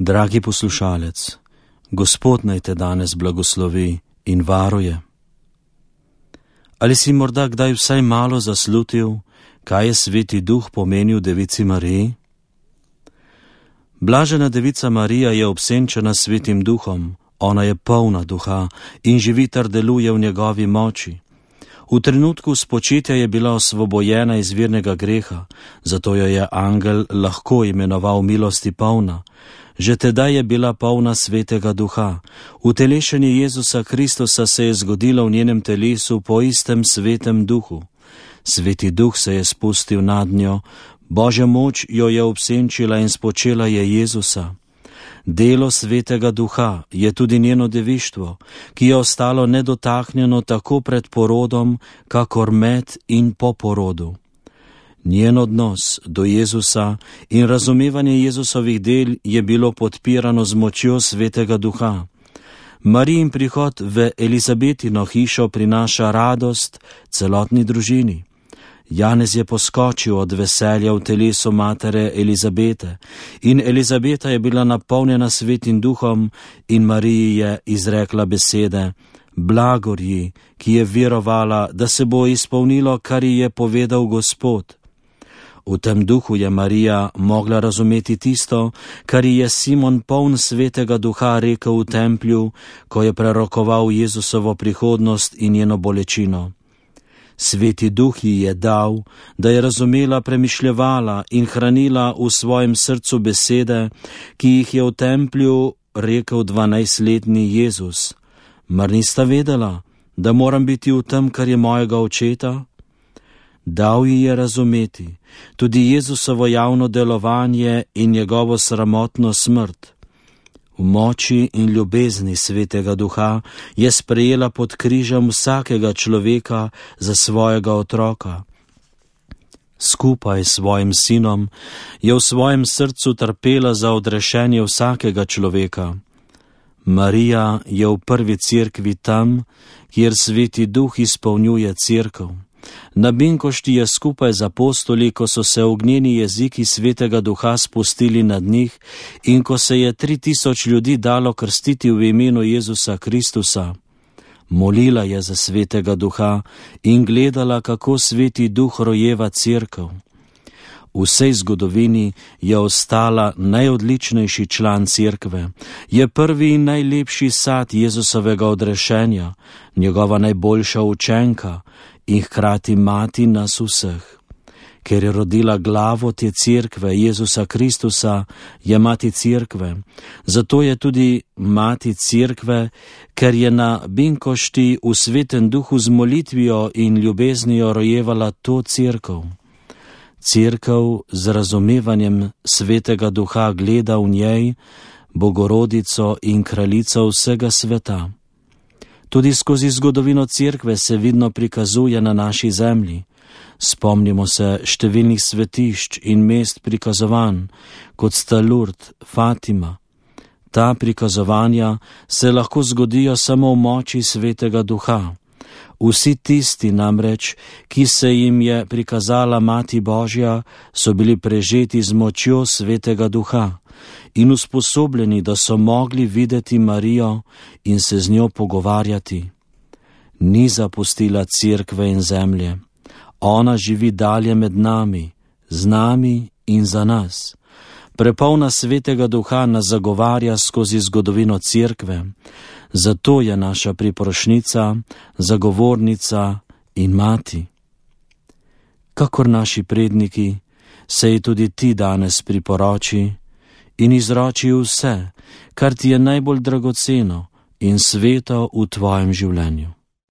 Dragi poslušalec, Gospod naj te danes blagoslovi in varuje. Ali si morda kdaj vsaj malo zaslutil, kaj je Sveti Duh pomenil Devici Mariji? Blažena Devica Marija je obsenčena s Svetim Duhom, ona je polna duha in živi ter deluje v njegovi moči. V trenutku spočitja je bila osvobojena iz virnega greha, zato jo je angel lahko imenoval milosti polna. Že tedaj je bila polna Svetega Duha. Utelešenje Jezusa Kristusa se je zgodilo v njenem telesu po istem Svetem Duhu. Sveti Duh se je spustil nad njo, Božja moč jo je obsenčila in spočela je Jezusa. Delo Svetega Duha je tudi njeno devištvo, ki je ostalo nedotaknjeno tako pred porodom, kakor med in po porodu. Njen odnos do Jezusa in razumevanje Jezusovih del je bilo podpirano z močjo Svetega Duha. Marijin prihod v Elizabetino hišo prinaša radost celotni družini. Janez je poskočil od veselja v telesu matere Elizabete in Elizabeta je bila napolnjena Svetim Duhom in Mariji je izrekla besede: Blagor ji, ki je verovala, da se bo izpolnilo, kar ji je povedal Gospod. V tem duhu je Marija mogla razumeti tisto, kar ji je Simon poln Svetega Duha rekel v templju, ko je prerokoval Jezusovo prihodnost in njeno bolečino. Sveti Duh ji je dal, da je razumela, premišljevala in hranila v svojem srcu besede, ki jih je v templju rekel 12-letni Jezus. Mar nista vedela, da moram biti v tem, kar je mojega očeta? Dal ji je razumeti tudi Jezusovo javno delovanje in njegovo sramotno smrt. V moči in ljubezni Svetega Duha je sprejela pod križem vsakega človeka za svojega otroka. Skupaj s svojim sinom je v svojem srcu trpela za odrešenje vsakega človeka. Marija je v prvi cerkvi tam, kjer Sveti Duh izpolnjuje cerkev. Na Binkošti je skupaj z apostoli, ko so se ognjeni jeziki Svetega Duha spustili nad njih in ko se je 3000 ljudi dalo krstiti v imenu Jezusa Kristusa. Molila je za Svetega Duha in gledala, kako Sveti Duh rojeva cerkev. V vsej zgodovini je ostala najodličnejši član cerkve, je prvi in najlepši sad Jezusovega odrešenja, njegova najboljša učenka in hkrati mati nas vseh. Ker je rodila glavo te cerkve, Jezusa Kristusa, je mati cerkve. Zato je tudi mati cerkve, ker je na Binkošti v Svetem Duhu z molitvijo in ljubeznijo rojevala to cerkev. Cerkev z razumevanjem Svetega Duha gleda v njej Bogorodico in kraljico vsega sveta. Tudi skozi zgodovino cerkve se vidno prikazuje na naši zemlji. Spomnimo se številnih svetišč in mest prikazovanj, kot sta Lourdes, Fatima. Ta prikazovanja se lahko zgodijo samo v moči Svetega Duha. Vsi tisti namreč, ki se jim je prikazala Mati Božja, so bili prežeti z močjo Svetega Duha in usposobljeni, da so mogli videti Marijo in se z njo pogovarjati. Ni zapustila cerkve in zemlje. Ona živi dalje med nami, z nami in za nas. Prepolna Svetega Duha nas zagovarja skozi zgodovino cerkve. Zato je naša priprošnica, zagovornica in mati. Kakor naši predniki, se ji tudi ti danes priporoči in izroči vse, kar ti je najbolj dragoceno in sveto v tvojem življenju.